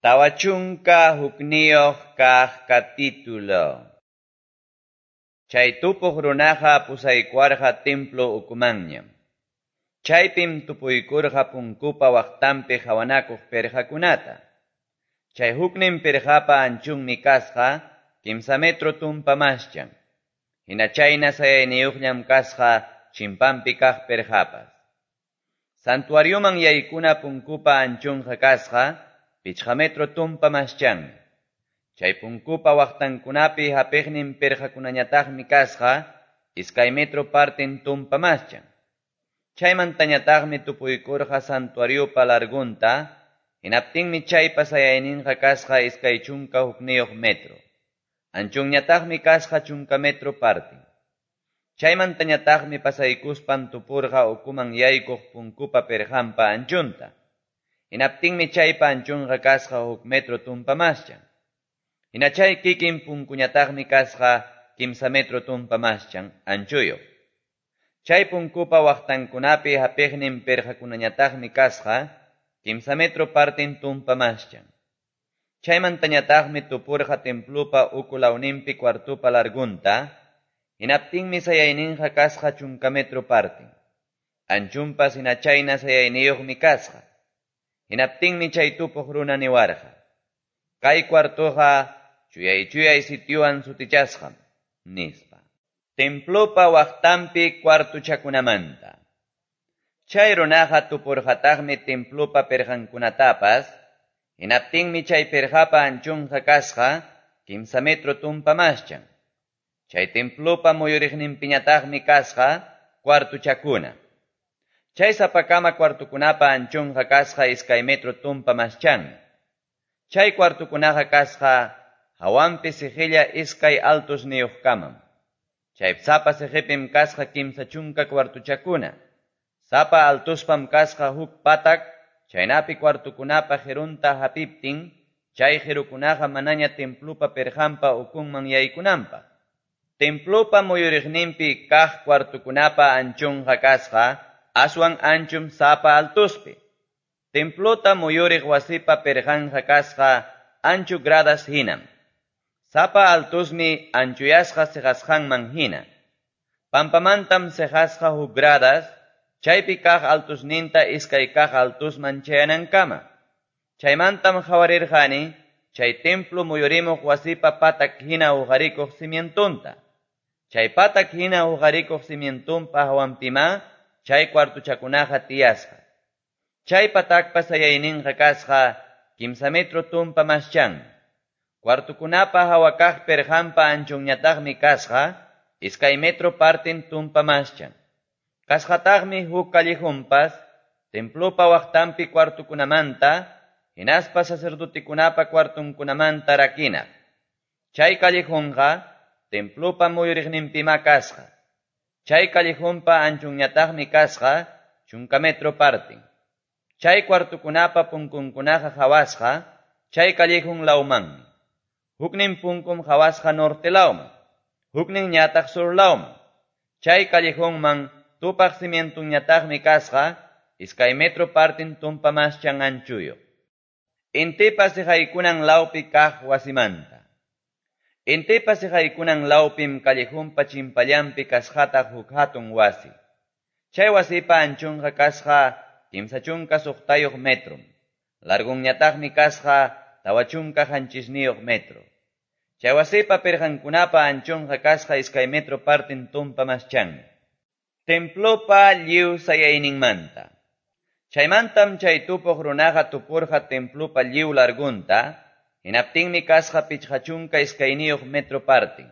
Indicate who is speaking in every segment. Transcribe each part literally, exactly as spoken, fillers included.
Speaker 1: Tawa chunka hukniyuq kaq capítulo. Chay tupuq runaqa pusaykuwarqa templo ukumanñam. Chaypim tupuykurqa punkupa waqtanpi qawanakuq pirqakunata. Chay huknin pirqapa anchunmi kasqa kimsa metro tumpa maschan. Hina chayna sayayniyuqllam kasqa chimpanpi kaq pirqapas. Santuarioman yaykuna punkupa anchunqa kasqa pichqa metro tumpa maschanmi. Chay punkupa waqtankunapi hapiqnin pirqakunañataqmi kasqa iskay metro partin tumpa maschan. Chaymantañataqmi tupuykurqa santuariopa largunta, hinaptinmi chaypa sayayninqa kasqa iskay chunka hukniyuq metro. Anchunñataqmi kasqa chunka metro partin. Chaymantañataqmi pasaykuspan tupurqa ukuman yaykuq punkupa pirqanpa anchunta. Hinaptinmi chaypa anchunqa kasqa huk metro tumpa maschan. Hina chay kikin punkuñataqmi kasqa kimsa metro tumpa maschan anchuyuq. Chay punkupa waqtankunapi hapiqnin pirqakunañataqmi kasqa kimsa metro partin tumpa maschan. Chaymantañataqmi tupurqa templupa uku lawninpi cuartupa largunta, hinaptinmi sayayninqa kasqa chunka metro partin. Anchunpas hina chayna sayayniyuqmi kasqa. Hinaptinmi chay tupuq runa niwarqa: Kay cuartuqa chuyay chuyay sitiowan sutichasqam, nispa. Templopa waqtanpi cuartuchakunamanta. Chay runaqa tupurqataqmi templopa pirqankunatapas, hinaptinmi chay pirqapa anchunqa kasqa kimsa metro tumpa maschan. Chay templopa muyuriqninpiñataqmi kasqa cuartuchakuna. Chay sapakama cuartukunapa anchunqa kasqa iskay metro tumpa maschanmi. Chay cuartukunaqa kasqa hawanpi siqilla iskay altusniyuqkamam. Chay sapa siqipim kasqa kimsa chunka cuartuchakuna. Sapa altuspam kasqa huk patak, chaynapi cuartukunapa qirunta hapiptin, chay qirukunaqa manaña templopa pirqanpa ukunman yaykunanpaq. Templopa muyuriqninpi kaq cuartukunapa anchunqa kasqa aswan anchum sapa altuspi. Templota muyuriq wasipa pirqanqa kasqa anchu gradas hinam. Sapa altusmi anchuyasqa siqasqanman hina. Pampamantam siqasqa huk gradas, chaypi kaq altusninta iskay kaq altusman chayanankama. Chaymantam qawarirqani chay templo muyurimuq wasipa patak hina uqarikuq cimientonta. Chay patak hina uqarikuq cimientonpa hawanpima chay cuartuchakunaqa tiyasqa. Chay patakpa sayayninqa kasqa kimsa metro tumpa maschanmi. Cuartukunapa hawa kaq pirqanpa anchunñataqmi kasqa iskay metro partin tumpa maschan. Kasqataqmi huk callejunpas templopa waqtanpi cuartukunamanta hinaspa sacerdotekunapa cuartunkunamanta rakinaq. Chay callejunqa templopa muyuriqninpima kasqa. Chay callejunpa anchunñataqmi kasqa chunka metro partin. Chay cuartukunapa punkunkunaqa qawasqa chay callejun lawmanmi. Huknin punkum qawasqa norte lawman, huknin ñataq sur lawman. Chay callejunman tupaq cimientunñataqmi kasqa iskay metro partin tumpa maschan anchuyuq. Intipa siqaykunan lawpi kaq wasimanta. Intipa siqaykunan lawpim callejunpa chimpallanpi kasqataq huk hatun wasi. Chay wasipa anchunqa kasqa kimsa chunka suqtayuq metrom. Largunñataqmi kasqa tawa chunka qanchisniyuq metro. Chay wasipa pirqankunapa anchunqa kasqa iskay metro partin tumpa maschanmi. Templopa lliw sayayninmanta. Chaymantam chay tupuq runaqa tupurqa templopa lliw largunta, hinaptinmi kasqa pichqa chunka iskayniyuq metro partin.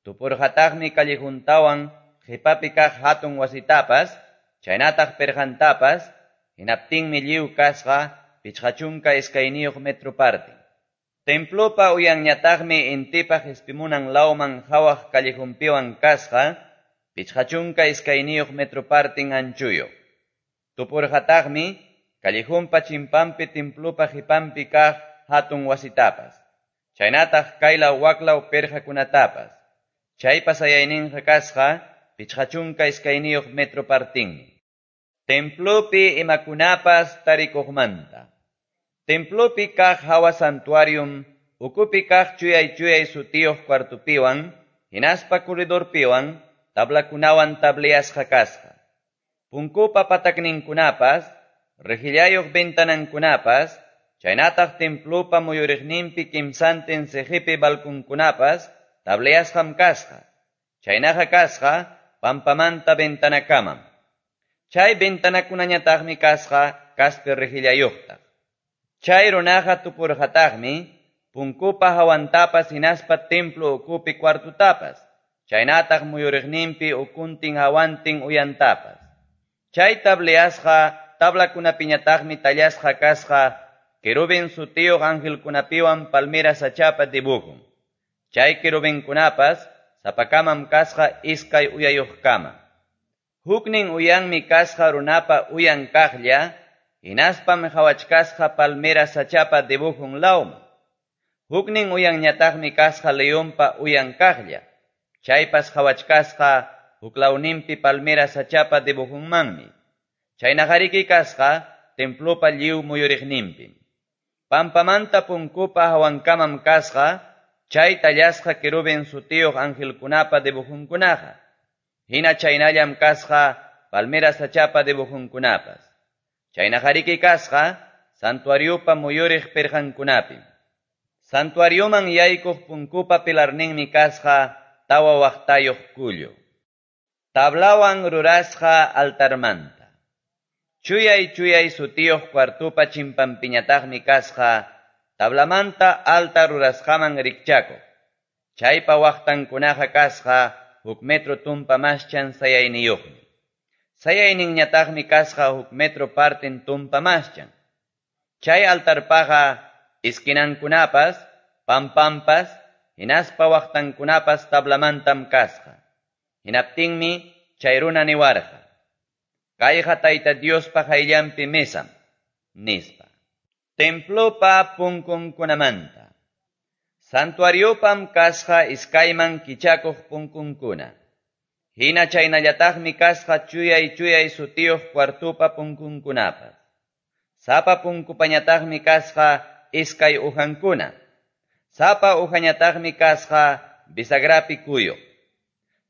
Speaker 1: Tupurqataqmi callejuntawan qipapi kaq hatun wasitapas, chaynataq pirqantapas, hinaptinmi lliw kasqa pichqa chunka iskayniyuq metro partin. Templopa uyanñataqmi intipa qispimunan lawman qawaq callejunpiwan kasqa pichqa chunka iskayniyuq metro partin anchuyuq. Tupurqataqmi callejunpa chimpanpi templopa qipanpi kaq hatun wasitapas, chaynataq kaylaw waklaw pirqakunatapas. Chaypa sayayninqa kasqa pichqa chunka iskayniyuq metro partinmi. Templopi imakunapas tarikuqmanta. Templopi kaq hawa santuarium ukupi kaq chuyay-chuyay sutiyuq cuartopiwan, hinaspa corredorpiwan, tablakunawan tableasqa kasqa. Punkupa patakninkunapas, rejillayuq ventanankunapas, chaynataq templopa muyuriqninpi kimsantin siqipi balconkunapas tableasqam kasqa. Chaynaqa kasqa pampamanta ventanakamam. Chay ventanakunañataqmi kasqa kaspi rejillayuqtaq. Chay runaqa tupurqataqmi punkupa hawantapas hinaspa templo ukupi cuartotapas, chaynataq muyuriqninpi ukuntin hawantin uyantapas. Chay tableasqa tablakunapiñataqmi tallasqa kasqa querubin sutiyuq angelkunapiwan palmera sachapa dibujun. Chay querubinkunapas sapakamam kasqa iskay uyayuqkama. Huknin uyanmi kasqa runapa uyan kaqlla, hinaspam qhawachkasqa palmera sachapa dibujun lawman. Huknin uyanñataqmi kasqa leonpa uyan kaqlla, chaypas qhawachkasqa huklawninpi palmera sachapa dibujunmanmi. Chaynaqariki kasqa templopa lliw muyuriqninpim. Pampamanta punkupa hawankamam kasqa chay tallasqa querubin sutiyuq angelkunapa dibujunkunaqa. Hina chaynallam kasqa palmera sachapa dibujunkunapas. Chaynaqariki kasqa santuariopa muyuriq pirqankunapim. Santuarioman yaykuq punkupa pilarninmi kasqa tawa waqtayuq kullu. Tablawan rurasqa altarmanta. Chuyay chuyay sutiyuq cuartopa chimpanpiñataqmi kasqa tablamanta altar rurasqaman rikchakuq. Chaypa waqtankunaqa kasqa huk metro tumpa maschan sayayniyuqmi. Sayayninñataqmi kasqa huk metro parten tumpa maschan. Chay altarpaqa esquinankunapas, pampampas, hinaspa waqtankunapas tablamantam kasqa. Hinaptinmi chay runa niwarqa: Kayqa Tayta Diospa qayllanpi mesam, nispa. Templopa punkunkunamanta. Santuariopam kasqa iskayman kichakuq punkunkuna. Hina chaynallataqmi kasqa chuyay chuyay sutiyuq cuartopa punkunkunapas. Sapa punkupañataqmi kasqa iskay ujankuna. Sapa ujañataqmi kasqa bisagrapi kuyuq.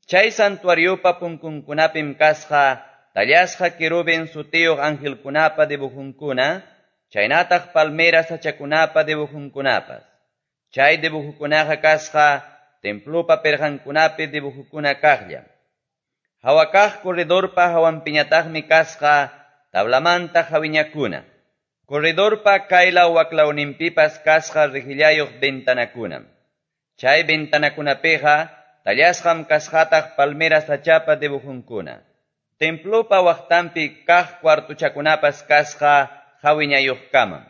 Speaker 1: Chay santuariopa punkunkunapim kasqa tallasqa querubin sutiyuq angelkunapa dibujunkuna, chaynataq palmera sachakunapa dibujunkunapas. Chay dibujukunaqa kasqa templopa pirqankunapi dibujukuna kaqllam. Hawakaq corredorpa hawanpiñataqmi kasqa tablamanta hawiñakuna. Corredorpa kaylaw waklawninpipas kasqa rejillayuq ventanakunam. Chay ventanakunapiqa tallasqam kasqataq palmera sachapa dibujunkuna. Templopa waqtanpi kaq cuartochakunapas kasqa hawiñayuqkamam.